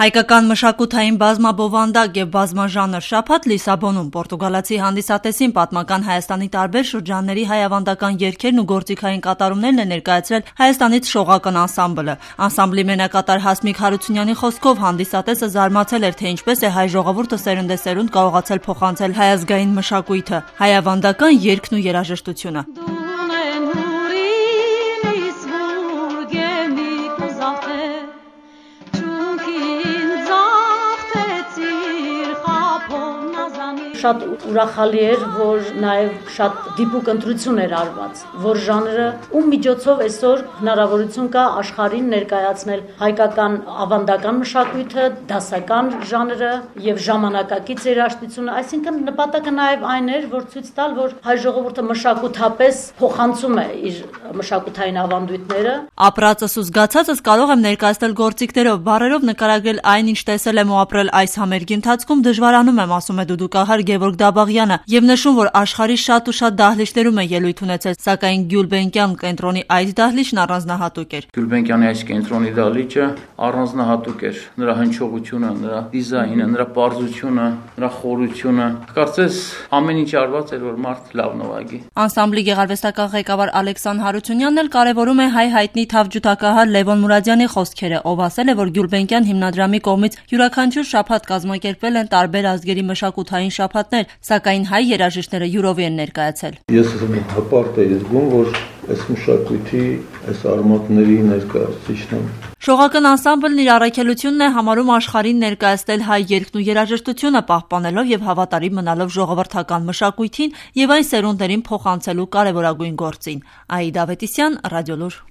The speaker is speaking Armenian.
Հայկական մշակութային բազմաբովանդակ եւ բազմաժանր շաբաթ Լիսաբոնում պորտուգալացի հանդիսատեսին պատմական Հայաստանի տարբեր շրջանների հայավանդական երգերն ու գործիքային կատարումներն է ներկայացրել Հայաստանից շողական անսամբլը։ Անսամբլի մենակատար Հասմիկ Հարությունյանի խոսքով հանդիսատեսը զարմացել էր, թե ինչպես է հայ ժողովուրդը սերնդեսերունդ կարողացել փոխանցել հայազգային մշակույթը, հայավանդական երգն ու երաժշտությունը։ Շատ ուրախալի էր, որ նաև շատ դիպուկ ընտրություն էր արված, որ ժանրը ում միջոցով այսօր հնարավորություն կա աշխարհին ներկայացնել հայկական ավանդական մշակույթը, դասական ժանրը եւ ժամանակակից երաժշտությունը, այսինքն նպատակը նաև այն էր, որ ցույց տալ, որ հայ ժողովուրդը մշակութապես փոխանցում է իր մշակութային ավանդույթները։ Ապրածս ու զգացածս կարող եմ ներկայացնել գործիքներով, բառերով նկարագրել այն, ինչ տեսել եմ ու ապրել այս համերգի ընթացքում դժվարանում եմ, ասում է դուդուկահար Գևորգ Դաբաղյանը, եւ նշում, որ աշխարհի շատ ու շատ դահլիճներում է ելույթ ունեցել, սակայն Գյուլբենկյան կենտրոնի այս դահլիճն առանձնահատուկ էր։ Գյուլբենկյանի այս կենտրոնի դահլիճը առանձնահատուկ էր, նրա հնչողությունը, նրա դիզայնը, նրա պարզությունը, նրա խորությունը։ Կարծես ամեն ինչ արված էր, որ մարդ լավ նվագի։ Անսամբլի գեղարվեստական ղեկավար Ալեքսան Հարությունյանն էլ կարևորում է հայ-հայտնի թավջութակահար Լևոն Մուրադյանի խոսքերը, ով ասել է, որ Գյուլբենկյան հիմնադրամի կողմից յուրաքանչյուր շաբաթ կազմակերպվել են տարբեր ազգերի մշակութային շաբաթներ, սակայն հայ երաժիշտները յուրովի են ներկայացել։ Ես հպարտ եմ զգում, որ այս մշակույթի, այս արմատների ներկայացուցիչն եմ։ Շողական անսամբլն իր առաքելությունն է համարում աշխարհին ներկայացնել հայ երգն ու երաժշտությունը, պահպանելով եւ հավատարիմ մնալով ժողովրդական մշակույթին եւ այն սերունդներին փոխանցելու կարեւորագույն գործին։ Աիդա Ավետիսյան, Ռադիոլուր։